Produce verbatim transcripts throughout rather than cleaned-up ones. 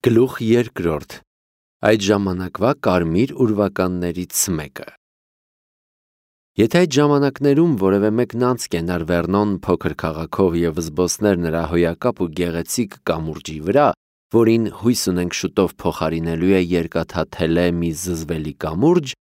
Գլուխ երկրորդ. Այդ ժամանակվա կարմիր ուրվականներից մեկը։ Եթե այդ ժամանակներում որևէ մեկն անց կենար Վերնոն փոքր քաղաքով և զբոսներ նրա հոյակապ ու գեղեցիկ կամուրջի վրա, որին հույս ունենք շուտով փոխարինելու է երկաթաթելե մի զզվելի կամուրջ,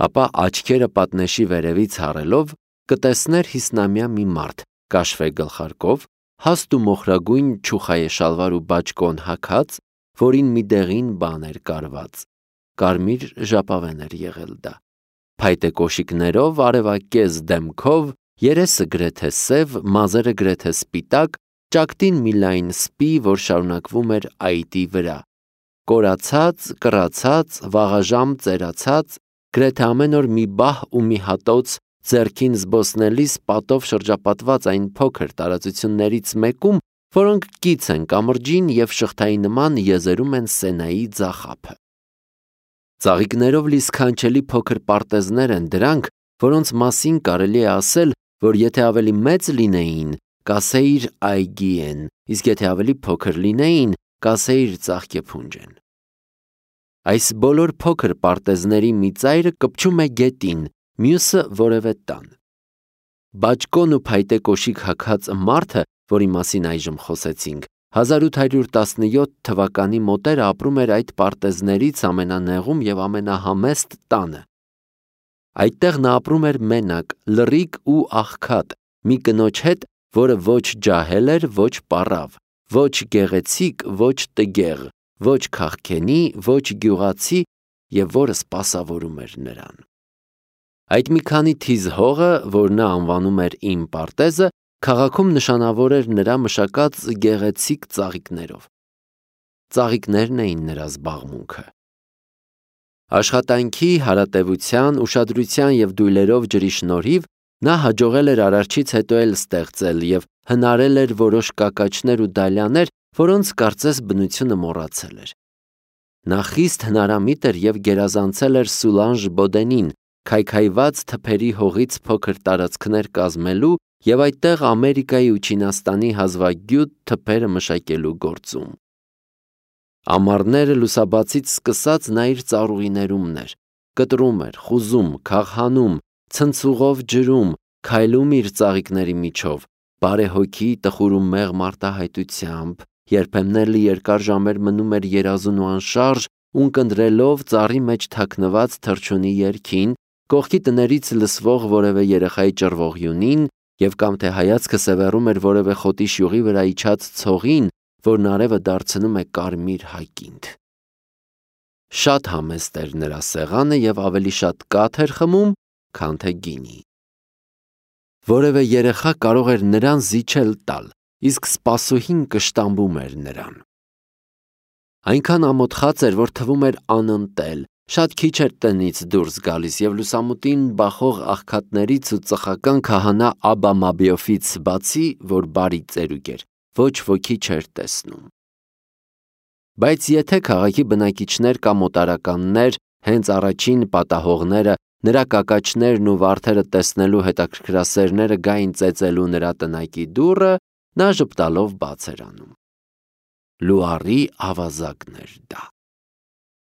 ապա աչքերը պատնեշի վերևից հառելով կտեսներ հիսնամյա մի մարդ, կաշվե գլխարկով, հաստ ու մոխրագույն չուխայե շալվար ու բաճկոն հագած, որին մի դեղին բան էր կարված, կարմիր ժապավեն էր եղել դա, փայտե կոշիկներով, արևակեզ դեմքով, երեսը գրեթե սև, մազերը գրեթե սպիտակ, ճակտին մի լայն սպի, որ շարունակվում էր այտի վրա, կորացած, կռացած, վաղաժամ ծերացած, գրեթե ամեն օր մի բահ ու մի հատոց, ձեռքին զբոսնելիս պատով շրջապատված այն փոքր տարածություններից մեկում, որոնք կից են կամրջին և շղթայի նման եզերում են Սենայի ձախափը։ Ծաղիկներով լի սքանչելի փոքր պարտեզներ են դրանք, որոնց մասին կարելի է ասել, որ եթե ավելի մեծ լինեին, կասեիր այգի են, իսկ եթե ավելի փոքր լինեին, կասեիր ծաղկեփունջ են։ Այս բոլոր փոքր պարտեզների մի ծայրը կպչում է գետին, մյուսը որևէ տան։ Բաճկոն ու փայտե կոշիկ հագած մարդը, որի մասին այժմ խոսեցինք, հազար ութ հարյուր տասնյոթ թվականի մոտերը ապրում էր այդ պարտեզներից ամենանեղում և ամենահամեստ տանը։ Այդտեղ նա ապրում էր մենակ, լռիկ ու աղքատ, մի կնոջ հետ, որը ոչ ջահել էր, ոչ պառավ, ոչ գեղեցիկ, ոչ տգեղ, ոչ քաղքենի, ոչ գյուղացի և որը սպասավորում էր նրան։ Այդ մի քանի թիզ հողը, որ նա անվանում էր իմ պարտեզը, քաղաքում նշանավոր էր նրա մշակած գեղեցիկ ծաղիկներով։ Ծաղիկներն էին նրա զբաղմունքը։ Աշխատանքի, հարատևության, ուշադրության և դույլերով ջրի շնորհիվ նա հաջողել էր Արարչից հետո էլ ստեղծել և հնարել էր որոշ կակաչներ ու դալյաներ, որոնց կարծես բնությունը մոռացել էր։ Նա խիստ հնարամիտ էր և գերազանցել էր Սուլանժ Բոդենին, քայքայված թփերի հողից փոքր տարածքներ կազմելու և այդտեղ Ամերիկայի ու Չինաստանի հազվագյուտ թփերը մշակելու գործում։ Ամառները լուսաբացից սկսած նա իր ծառուղիներումն էր, կտրում էր, խուզում, քաղհանում, ցնցուղով ջրում, քայլում իր ծաղիկների միջով, բարեհոգի, տխուր ու մեղմ արտահայտությամբ, երբեմն էլ երկար ժամեր մնում էր երազուն ու անշարժ, ունկնդրելով ծառի մեջ թաքնված թռչունի երգին, կողքի տներից լսվող որևէ երեխայի ճռվողյունին և կամ թե հայացքը սևեռում էր որևէ խոտի շյուղի վրա իջած ցողին, որն արևը դարձնում է կարմիր հակինդ։ Շատ համեստ էր նրա սեղանը և ավելի շատ կաթ էր խմում, քան թե գինի։ Որևէ երեխա կարող էր նրան զիջել տալ, իսկ սպասուհին կշտամբում էր նրան։ Այնքան ամոթխած էր, որ թվում էր անընտել, շատ քիչ էր տնից դուրս գալիս և լուսամուտին բախող աղքատներից ու ծխական քահանա Աբա Մաբիոֆից բացի, որ բարի ծերուկ էր, ոչ ոքի չէր տեսնում։ Բայց եթե քաղաքի բնակիչներ կամ օտարականներ, հենց առաջին պատահողները, նրա կակաչներն ու վարդերը տեսնելու հետաքրքրասերները գային ծեծելու նրա տնակի դուռը, նա ժպտալով բաց էր անում։ Լուարի ավազակն էր դա։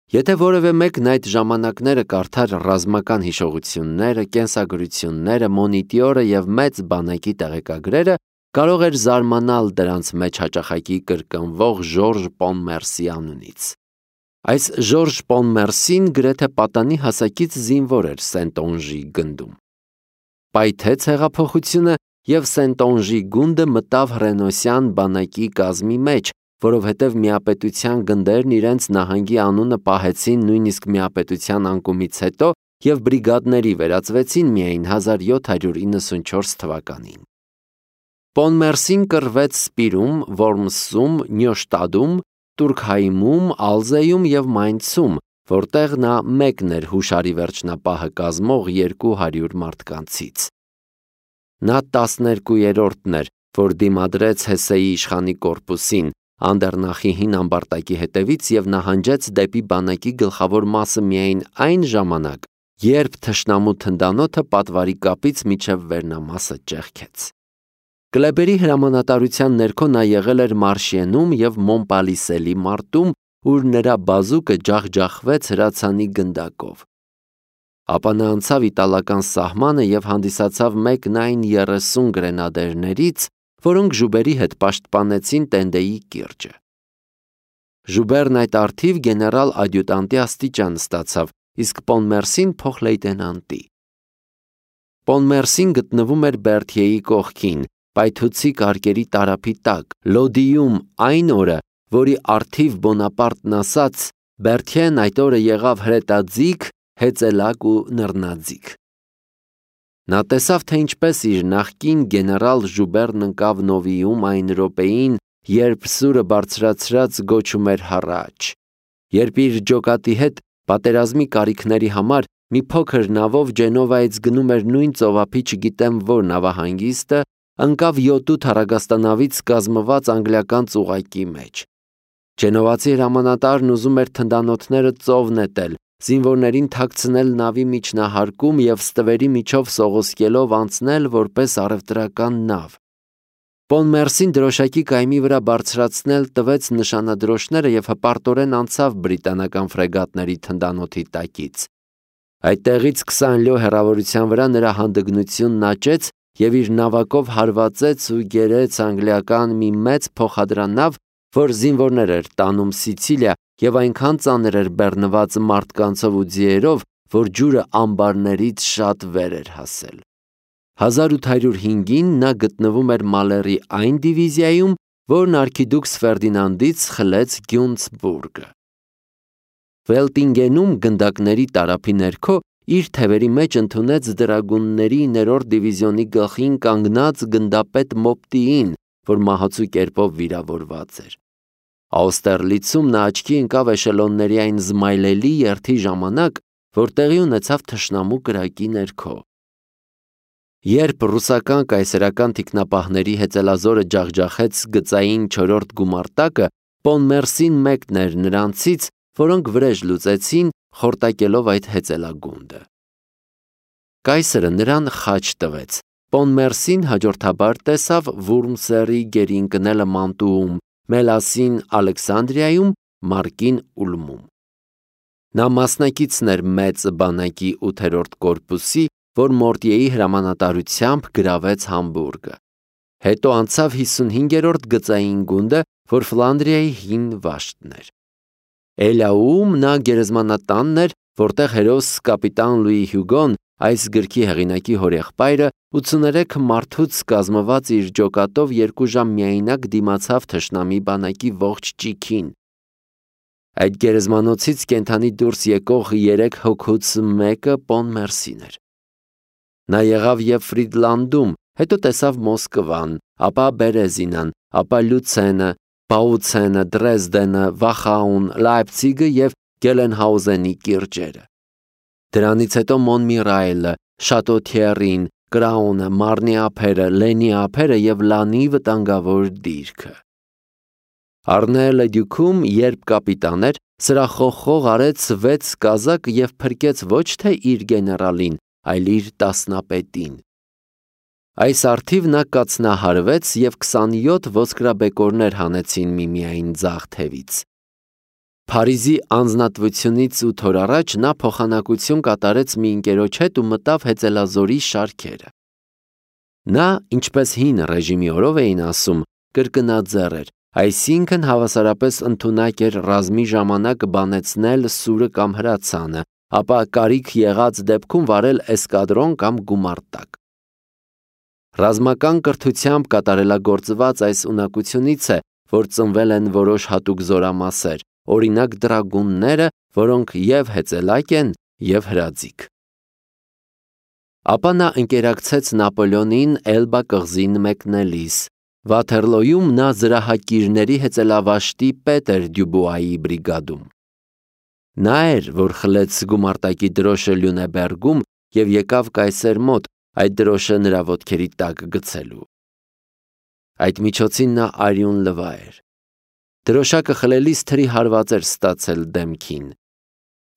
Եթե որևէ մեկն այդ ժամանակները կարդար ռազմական հիշողությունները, կենսագրությունները, մոնիտյորը և մեծ բանակի տեղեկագրերը, կարող էր զարմանալ դրանց մեջ հաճախակի կրկնվող Ժորժ Պոնմերսի անունից։ Այս Ժորժ Պոնմերսին գրեթե պատանի հասակից զինվոր էր Սենտոնժի գնդում։ Պայթեց հեղափոխությունը և Սենտոնժի գունդը մտավ հռենոսյան բանակի կազմի մեջ, որովհետև միապետության գնդերն իրենց նահանգի անունը պահեցին նույնիսկ միապետության անկումից հետո և բրիգադների վերածվեցին միայն հազար յոթ հարյուր իննսունչորս թվականին։ Պոնմերսին կռվեց Սպիրում, Որմսում, Նյոշտադում, Տուրքհայմում, Ալզեյում և Մայնցում, որտեղ նա մեկն էր հուշարի վերջնապահը կազմող երկու հարյուր մարդկանցից։ Նա տասներկուերորդն էր, որ դիմադրեց Հեսեի իշխանի կորպուսին, Անդեռնախի հին ամբարտակի հետևից և նահանջեց դեպի բանակի գլխավոր մասը միայն այն ժամանակ, երբ թշնամու թնդանոթը պատվարի կապից մինչև վերնամասը ճեղքեց։ Կլեբերի հրամանատարության ներքո նա եղել էր Մարշիենում և Մոնպալիսելի մարտում ուր նրա բազուկը ջախջախվեց հրացանի գնդակով։ Ապա նա անցավ իտալական սահմանը և հանդիսացավ մեկն այն երեսուն գրենադերներից, որոնք Ժուբերի հետ պաշտպանեցին Տենդեի կիրճը։ Ժուբերն այդ առթիվ գեներալ ադյուտանտի աստիճան ստացավ, իսկ Պոնմերսին փոխլեյտենանտի։ Պոնմերսին գտնվում էր Բերթիեի կողքին, պայթուցիկ արկերի տարափի տակ, Լոդիում այն օրը, որի առթիվ Բոնապարտն ասաց. Բերթիեն այդ օրը եղավ հրետաձիգ, հեծելակ ու նռնաձիգ։ Նա տեսավ, թե ինչպես իր նախկին գեներալ Ժուբերն ընկավ Նովիում այն րոպեին, երբ սուրը բարձրացրած գոչում էր հառաչ, երբ իր ջոկատի հետ պատերազմի կարիքների համար մի փոքր նավով Ջենովայից գնում էր նույն ծովափի չգիտեմ որ նավահանգիստը, ընկավ յոթ-ութ առագաստանավից կազմված անգլիական ծուղակի մեջ։ Ջենովացի հրամանատարն ուզում էր թնդանոթները ծով նետել, զինվորներին թաքցնել նավի միջնահարկում և ստվերի միջով սողոսկելով անցնել որպես առևտրական նավ։ Պոնմերսին դրոշակի կայմի վրա բարձրացնել տվեց նշանադրոշները և հպարտորեն անցավ բրիտանական ֆրեգատների թնդանոթի տակից։ Այդտեղից քսան լյո հեռավորության վրա նրա հանդգնությունն աճեց և իր նավակով հարվածեց ու գերեց անգլիական մի մեծ փոխադրանավ, որ զինվորներ էր տանում Սիցիլիա և այնքան ծանր էր բեռնված մարդկանցով ու ձիերով, որ ջուրը ամբարներից շատ վեր էր հասել։ հազար ութ հարյուր հինգին նա գտնվում էր Մալերի այն դիվիզիայում, որն արքիդուքս Ֆերդինանդից խլեց Գյունցբուրգը։ Վելտինգենում գնդակների տարափի ներքո իր թևերի մեջ ընդունեց դրագունների ներորդ դիվիզիոնի գլխին կանգնած գնդապետ Մոպտիին, որ մահացու կերպով վիրավորված էր։ Աուստերլիցում նա աչքի ընկավ էշելոնների այն զմայլելի երթի ժամանակ, որ տեղի ունեցավ թշնամու կրակի ներքո։ Երբ ռուսական կայսերական թիկնապահների հեծելազորը ջախջախեց գծային չորրորդ գումարտակը, Պոնմերսին մեկն էր նրանցից, որոնք վրեժ լուծեցին, խորտակելով այդ հեծելագունդը։ Կայսրը նրան խաչ տվեց։ Պոնմերսին հաջորդաբար տեսավ Վուրմսերի գերի ընկնելը Մանտուում, Մելասին Ալեքսանդրիայում, Մարկին Ուլմում։ Նա մասնակիցն էր մեծ բանակի ութերորդ կորպուսի, որ Մորտիեի հրամանատարությամբ գրավեց Համբուրգը։ Հետո անցավ հիսունհինգերորդ գծային գունդը, որ Ֆլանդրիայի հին վաշտն էր։ Էլաուում նա գերեզմանատանն էր, որտեղ հերոս կապիտան Լուի Հյուգոն, այս գրքի հեղինակի հորեղբայրը, ութսուներեք մարդուց կազմված իր ջոկատով երկու ժամ միայնակ դիմացավ թշնամի բանակի ողջ ճիգին։ Այդ գերեզմանոցից կենդանի դուրս եկող երեք հոգուց մեկը Պոնմերսին էր։ Նա եղավ և Ֆրիդլանդում, հետո տեսավ Մոսկվան, ապա Բերեզինան, ապա Լյուցենը, Բաուցենը, Դրեզդենը, Վախաուն, Լայպցիգը և Գելենհաուզենի կիրճերը։ Դրանից հետո Մոնմիրայլը, Շատոթիերին, Կրաունը, Մարնի ափերը, Լենի ափերը և Լանի վտանգավոր դիրքը։ Արնելը դյուքում, երբ կապիտան էր, սրախողխող արեց վեց կազակ և փրկեց ոչ թե իր գեներալին, այլ իր տասնապետին։ Այս առթիվ նա կացնահարվեց և քսանյոթ ոսկրաբեկորներ հանեցին միմիայն ձախ թևից։ Փարիզի անձնատվությունից ութ օր առաջ նա փոխանակություն կատարեց մի ընկերոջ հետ ու մտավ հեծելազորի շարքերը։ Նա, ինչպես հին ռեժիմի օրով էին ասում, կրկնաձեռ էր, այսինքն հավասարապես ընդունակ էր ռազմի ժամանակ բանեցնել սուրը կամ հրացանը, ապա կարիք եղած դեպքում վարել էսկադրոն կամ գումարտակ։ Ռազմական կրթությամբ կատարելագործված այս ունակությունից է, որ ծնվել են որոշ հատուկ զորամասեր, օրինակ դրագունները, որոնք և հեծելակ են, և հրաձիգ։ Ապա նա ընկերակցեց Նապոլեոնին Էլբա կղզին մեկնելիս։ Վաթերլոյում նա զրահակիրների հեծելավաշտի պետ էր Դյուբուայի բրիգադում։ Նա էր, որ խլեց գումարտակի դրոշը Լյունեբերգում և եկավ կայսեր մոտ այդ դրոշը նրա ոտքերի տակ գցելու։ Այդ միջոցին նա արյուն լվա էր։ Դրոշակը խլելիս թրի հարված էր ստացել դեմքին։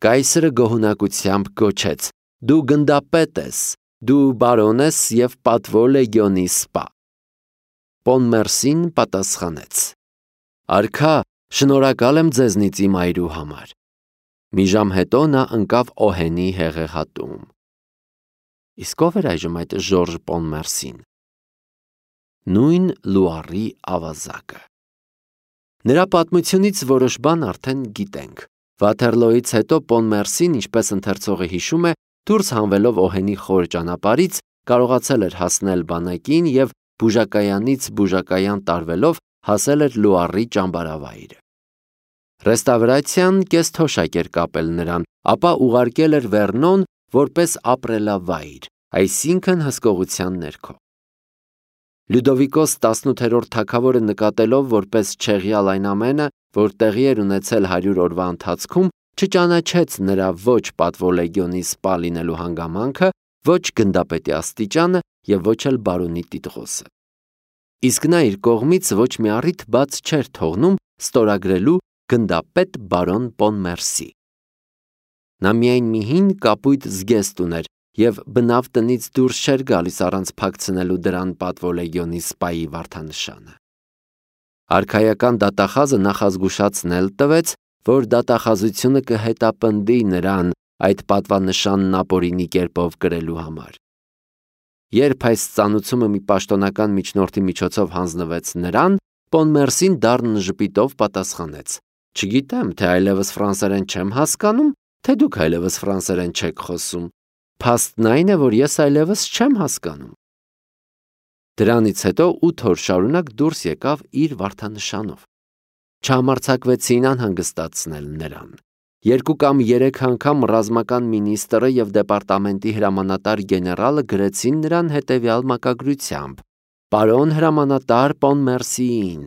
Կայսրը գոհունակությամբ գոչեց. «Դու գնդապետ ես, դու բարոն ես և պատվո լեգիոնի սպա»։ Պոնմերսին պատասխանեց. «Արքա, Շնորհակալ եմ ձեզնից իմ այրու համար։ Մի ժամ հետո նա ընկավ Օհենի հեղեղատում։ Իսկ ով էր այժմ այդ Ժորժ Պոնմերսին։ Նույն Լուարի ավազակը։ Նրա պատմությունից որոշ բան արդեն գիտենք։ Վաթերլոյից հետո Պոնմերսին, ինչպես ընթերցողը հիշում է, դուրս հանվելով Օհենի խոր ճանապարհից, կարողացել էր հասնել բանակին եւ բուժակայանից բուժակայան տարվելով հասել էր Լուարի ճամբարավայրը։ Ռեստավրացիան կեսթոշակ էր կապել նրան, ապա ուղարկել էր Վերնոն որպես ապրելավայր, այսինքն հսկողության ներքո։ Լյուդովիկոս տասնութերորդ թագավորը նկատելով որպես չեղյալ այն ամենը, որ տեղի էր ունեցել հարյուր օրվա ընթացքում, չճանաչեց նրա ոչ պատվոլեգիոնի սպա լինելու հանգամանքը, ոչ գնդապետի աստիճանը եւ ոչ էլ բարոնի տիտղոսը։ Իսկ նա իր կողմից ոչ մի առիթ բաց չէր թողնում ստորագրելու գնդապետ բարոն Պոնմերսի։ Նա միայն մի հին կապույտ զգեստ ուներ եւ բնավ տնից դուրս չէր գալիս առանց փակցնելու դրան պատվոլեգիոնի սպայի վարդանշանը։ Արքայական դատախազը նախազգուշացնել տվեց, որ դատախազությունը կհետապնդի նրան այդ պատվանշանն ապօրինի կերպով կրելու համար։ Երբ այս ծանուցումը մի պաշտոնական միջնորդի միջոցով հանձնվեց նրան, Պոնմերսին դառն ժպիտով պատասխանեց. Չգիտեմ, թե այլևս ֆրանսերեն չեմ հասկանում, թե դուք այլևս ֆրանսերեն չեք խոսում։ Փաստն այն է, որ ես այլևս չեմ հասկանում։ Դրանից հետո ութ օր շարունակ դուրս եկավ իր վարդանշանով։ Չհամարձակվեցին անհանգստացնել նրան։ Երկու կամ երեք անգամ ռազմական մինիստրը եւ դեպարտամենտի հրամանատար գեներալը գրեցին նրան հետեւյալ մակագրությամբ. Պարոն հրամանատար Պոնմերսիին։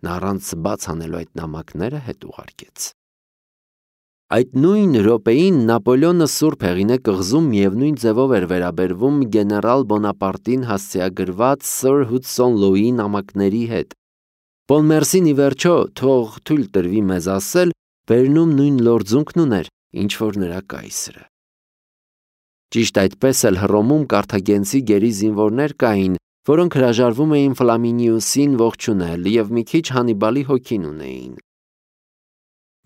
Նա առանց բաց անելու այդ նամակները հետ ուղարկեց։ Այդ նույն րոպեին Նապոլեոնը Սուրբ Հեղինե կղզում միևնույն ձևով էր վերաբերվում գեներալ Բոնապարտին հասցեագրված Սր Հուդսոն Լոուի նամակների հետ։ Պոնմերսին ի վերջո, թող թույլ տրվի մեզ ասել, վերնում նույն լորձունքն ուներ, ինչ որ նրա կայսրը։ Ճիշտ այդպես էլ Հռոմում կարթագենցի գերի զինվորներ կային, որոնք հրաժարվում էին Ֆլամինիուսին ողջունել եւ մի քիչ Հանիբալի հոգին ունեին։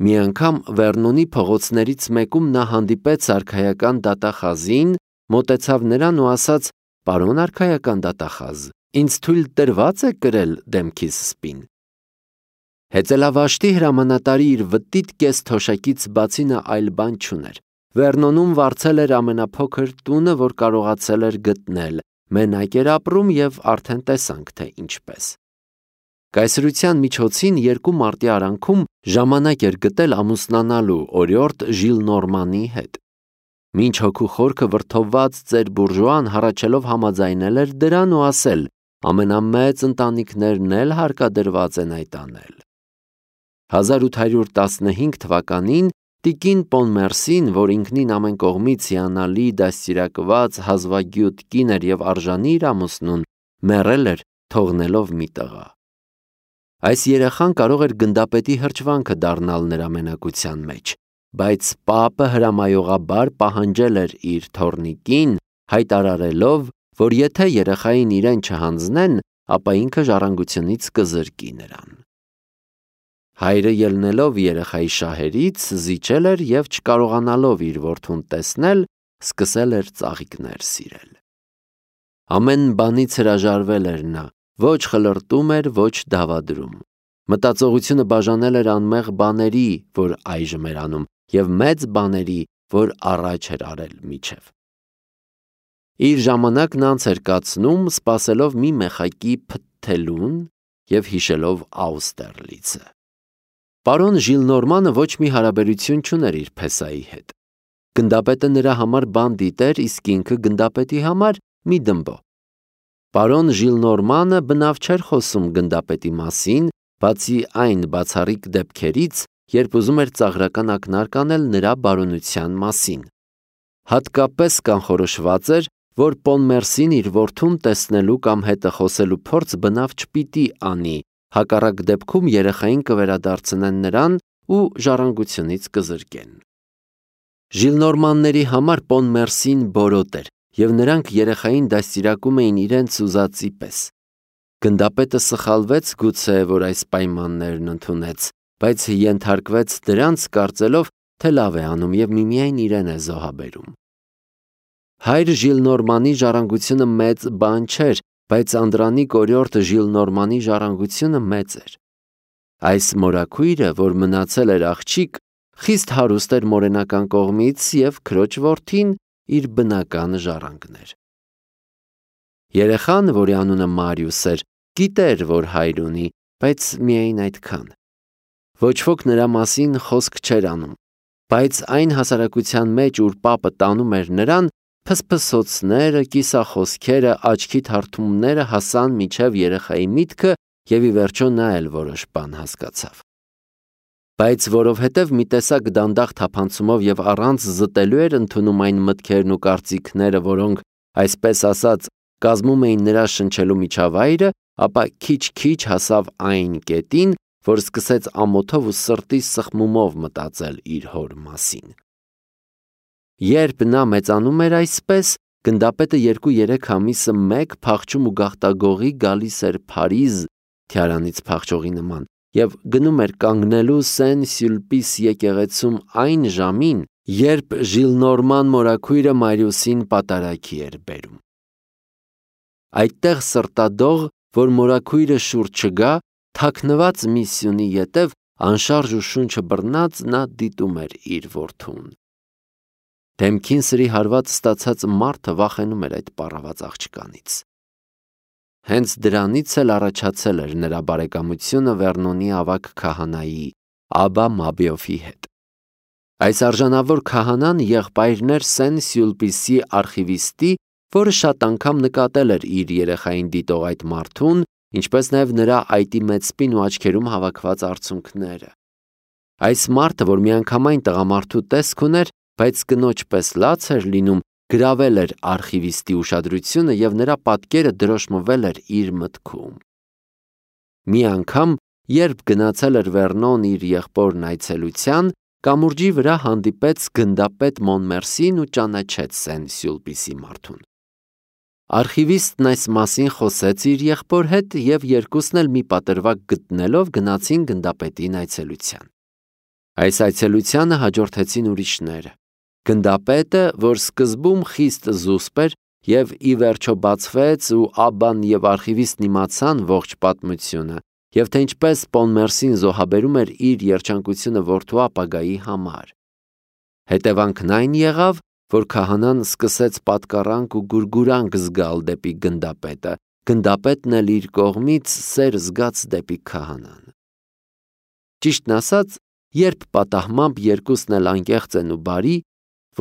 Մի անգամ Վերնոնի փողոցներից մեկում նա հանդիպեց արքայական դատախազին, մոտեցավ նրան ու ասաց. «Պարոն արքայական դատախազ, ինձ թույլ տրված է կրել դեմքիս սպին»։ Հեծելավաշտի հրամանատարի իր վտիտ կես թոշակից բացի նա այլ բան չուներ։ Վերնոնում վարձել էր ամենափոքր տունը, որ կարողացել էր գտնել, մենակ էր ապրում եւ արդեն տեսանք թե ինչպես։ Կայսրության միջոցին երկու մարտի արանքում ժամանակ էր գտել ամուսնանալու օրիորդ Ժիլ Նորմանի հետ։ Մինչ հոգու խորքը վրդովված ծեր բուրժուան հառաչելով համաձայնել էր դրան ու ասել. ամենամեծ ընտանիքներն էլ հարկադրված են այդ անել։ հազար ութ հարյուր տասնհինգ թվականին տիկին Պոնմերսին, որ ինքնին ամեն կողմից հիանալի դաստիարակված հազվագյուտ կին էր եւ արժանի իր ամուսնուն, մեռել էր թողնելով մի տղա։ Այս երեխան կարող էր գնդապետի հրճվանքը դառնալ նրա մենակության մեջ, բայց պապը հրամայողաբար պահանջել էր իր թոռնիկին, հայտարարելով, որ եթե երեխային իրեն չհանձնեն, ապա ինքը ժառանգությունից կզրկի նրան։ Հայրը ելնելով երեխայի շահերից զիջել էր եւ չկարողանալով իր որդուն տեսնել, սկսել էր ծաղիկներ սիրել։ Ամեն բանից հրաժարվել էր նա, ոչ խլրտում էր, ոչ դավադրում։ Մտածողությունը բաժանել էր անմեղ բաների, որ այժմ էր անում, եւ մեծ բաների, որ առաջ էր արել միջև։ Իր ժամանակն անց էր կացնում, սպասելով մի մեխակի փթթելուն եւ հիշելով Աուստերլիցը։ Պարոն Ժիլնորմանը ոչ մի հարաբերություն չուներ իր փեսայի հետ։ Գնդապետը նրա համար բանդիտ էր, իսկ ինքը գնդապետի համար մի դմբո։ Պարոն Ժիլնորմանը բնավ չէր խոսում գնդապետի մասին, բացի այն բացառիկ դեպքերից, երբ ուզում էր ծաղրական ակնարկ անել նրա բարոնության մասին։ Հատկապես կանխորոշված էր, որ Պոնմերսին իր որդուն տեսնելու կամ հետը խոսելու փորձ բնավ չպիտի անի, հակառակ դեպքում երեխային կվերադարձնեն նրան ու ժառանգությունից կզրկեն։ Ժիլնորմանների համար Պոնմերսին բորոտ էր, եւ նրանք երեխային դաստիարակում էին իրենց ուզածի պես։ Գնդապետը սխալվեց գուցե, որ այս պայմաններն ընդունեց, բայց ենթարկվեց դրանց կարծելով, թե լավ է անում և միմիայն իրեն է զոհաբերում։ Հայր Ժիլնորմանի ժառանգությունը մեծ բան չէր, բայց Անդրանիկ օրիորդ Ժիլնորմանի ժառանգությունը մեծ էր։ Այս մորաքույրը, որ մնացել էր աղջիկ, խիստ հարուստ էր մորենական կողմից և քրոջ որդին իր բնական ժառանգն էր։ Երեխան, որի անունը Մարիուս էր, գիտեր, որ հայր ունի, բայց միայն այդքան։ Ոչ ոք նրա մասին խոսք չէր անում, բայց այն հասարակության մեջ, ուր պապը տանում էր նրան, փսփսոցները, կիսախոսքերը, աչքի թարթումները հասան մինչև երեխայի միտքը և ի վերջո նա էլ որոշ բան հասկացավ։ Բայց որովհետև մի տեսակ դանդաղ թափանցումով և առանց զտելու էր ընդունում այն մտքերն ու կարծիքները, որոնք, այսպես ասած, կազմում էին նրա շնչելու միջավայրը, ապա քիչ-քիչ հասավ այն կետին, որ սկսեց ամոթով ու սրտի սխմումով մտածել իր հոր մասին։ Երբ նա մեծանում էր այսպես, գնդապետը երկու-երեք ամիսը մեկ փախչում ու գաղտագողի գալիս էր Փարիզ թիարանից փախչողի նման և գնում էր կանգնելու Սեն-Սյուլպիս եկեղեցում այն ժամին, երբ Ժիլնորման մորաքույրը Մարիուսին պատարագի էր բերում։ Այդտեղ սրտադող, որ մորաքույրը շուռ չգա, թաքնված մի սյունի ետև, անշարժ ու շունչը բռնած, նա դիտում էր իր որդուն։ Դեմքին սրի հարված ստացած մարդը վախենում էր այդ պառաված աղջկանից։ Հենց դրանից էլ առաջացել էր նրա բարեկամությունը Վերնոնի ավագ քահանայի Աբբա Մաբիոֆի հետ։ Այս արժանավոր քահանան եղբայրն էր Սեն-Սյուլպիսի արխիվիստի, որը շատ անգամ նկատել էր իր երեխային դիտող այդ մարդուն, ինչպես նաև նրա այտի մեծ սպին ու աչքերում հավաքված արցունքները։ Այս մարդը, որ միանգամայն տղամարդու տեսք ուներ, բայց կնոջ պես լաց էր լինում, գրավել էր արխիվիստի ուշադրությունը և նրա պատկերը դրոշմվել էր իր մտքում։ Մի անգամ, երբ գնացել էր Վերնոն իր եղբորն այցելության, կամուրջի վրա հանդիպեց գնդապետ Մոնմերսին ու ճանաչեց Սեն-Սյուլպիսի մարդուն։ Արխիվիստն այս մասին խոսեց իր եղբոր հետ և երկուսն էլ մի պատրվակ գտնելով գնացին գնդապետին այցելության։ Այս այցելությանը հաջորդեցին ուրիշները։ Գնդապետը, որ սկզբում խիստ զուսպ էր և ի վերջո բացվեց ու Աբբան և արխիվիստն իմացան ողջ պատմությունը և թե ինչպես Պոնմերսին զոհաբերում էր իր երջանկությունը որդու ապագայի համար։ Հետևանքն այն եղավ, որ քահանան սկսեց պատկառանք ու գուրգուրանք զգալ դեպի գնդապետը, գնդապետն էլ իր կողմից սեր զգաց դեպի քահանան։ Ճիշտն ասած, երբ պատահմամբ երկուսն էլ անկեղծ են ու բարի,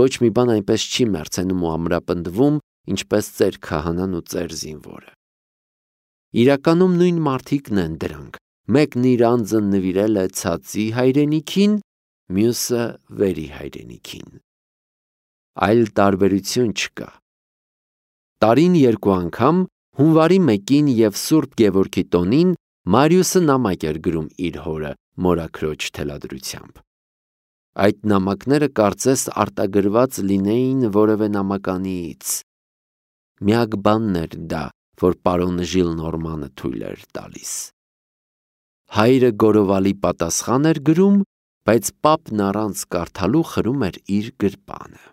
ոչ մի բան այնպես չի մեռցենում ու ամրապնդվում, ինչպես ծեր քահանան ու ծեր զինվորը։ Իրականում նույն մարդիկն են դրանք, մեկն իր անձը նվիրել է ցածի հայրենիքին, մյուսը վերի հայրենիքին։ Այլ տարբերություն չկա։ Տարին երկու անգամ, հունվարի մեկին և Սուրբ Գևորգի տոնին, Մարիուսը նամակ էր գրում իր հորը մորաքրոջ թելադրությամբ։ Այդ նամակները կարծես արտագրված լինեին որևէ նամականիից։ Միակ բանն էր դա, որ պարոն Ժիլնորմանը թույլ էր տալիս։ Հայրը գորովալի պատասխան էր գրում, բայց պապն առանց կարդալու խրում էր իր գրպանը։